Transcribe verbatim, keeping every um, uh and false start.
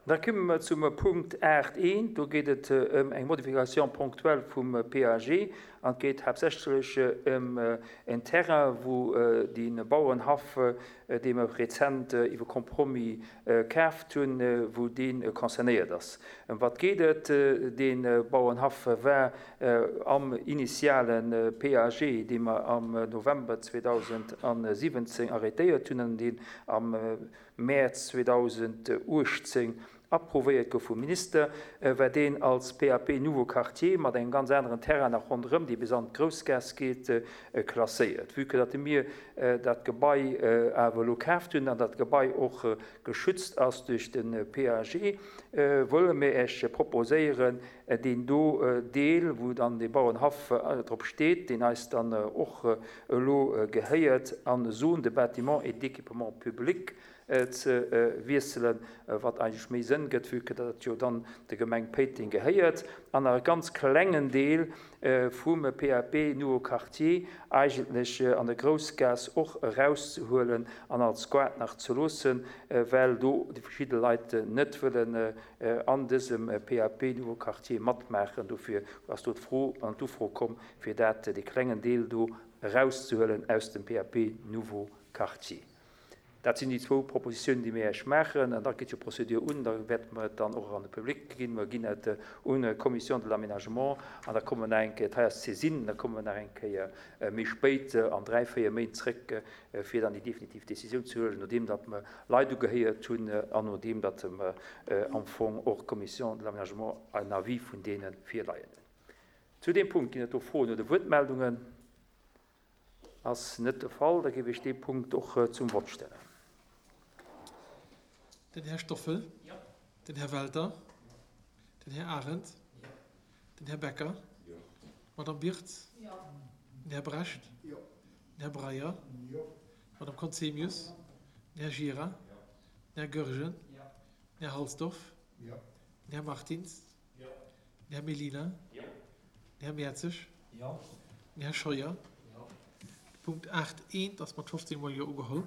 Da komme mer zum Punkt aacht eent. Do geet et ëm eng Modification ponctuelle vum P A G an et geet haaptsächlech ëm en Terrain, wou de Bauerenhaff, dee mer rezent iwwer Compromis kaaft hunn, wou dee concernéiert ass. Ëm wat geet et? Dee Bauerenhaff war am initiale P A G, dee mer am November zweedausendsiwwenzéng arrêtéiert hunn an deen am Mäerz zweedausendachtzéng approuvéiert gouf vum Minister, war deen als P A P Nouveau Quartier mat engem ganz aneren Terrain nach ronderëm, dee bis an d'Groussgaass geet, klasséiert. Vue que datt mir dat Gebai awer elo kaaft hunn an dat Gebai och geschützt ass duerch de P A G, wëlle mir Iech proposéieren, deen do Deel, wou dann de Bauerenhaff drop steet, deen eis dann och elo gehéiert, an Zone de bâtiment et d'équipement public ze wiesselen, wat eigentlech méi Sënn gëtt, vue que dat jo dann der Gemeng Péiteng gehéiert, an nach e ganz klengen Deel vum P A P Nouveau Quartier eigentlech an der Groussgaass och erauszehuelen an als Gaart nach ze loossen, well do déi verschidde Leit net wëllen an dësem P A P Nouveau Quartier matmaachen. Dofir ass do d'Fro an d'Ufro komm, fir dat dee klengen Deel do erauszehuelen aus dem P A P Nouveau Quartier. Dat sinn déi zwou Propositiounen, déi mir Iech maachen. An da geet jo d'Prozedur un, da wäerte mer et dann och an de Public ginn. Mer ginn et un d'Commission de l'aménagement an da komme mer nach eng Kéier, dat hei ass d'Saisine, da komme mer nach eng Kéier méi spéit an dräi, véier Méint zréck, fir dann déi definitiv Décisioun ze huelen, nodeem datt mer Leit ugehéiert hunn an nodeem datt mer am Fong och d'Commission de l'aménagement en Avis vun deene virleien hunn. Zu deem Punkt ginn et do Froen oder Wuertmeldungen? Ass net de Fall, da géif ech dee Punkt och zum Vott stellen. Den Här Stoffel. Jo. Den Här Welter. Den Här Arendt. Den Här Becker. Jo. D'Madame Birtz. Jo. Den Här Brecht. Jo. Den Här Breyer. Jo. D'Madame Conzemius. Den Här Gira. Den Här Goergen. Jo. Den Här Halsdorf. Jo. Den Här Martins. Jo. Den Här Mellina. Jo. Den Här Mertzig. Jo. Den Här Scheuer. Jo. De Punkt aacht eent ass mat fofzéng mol Jo ugeholl.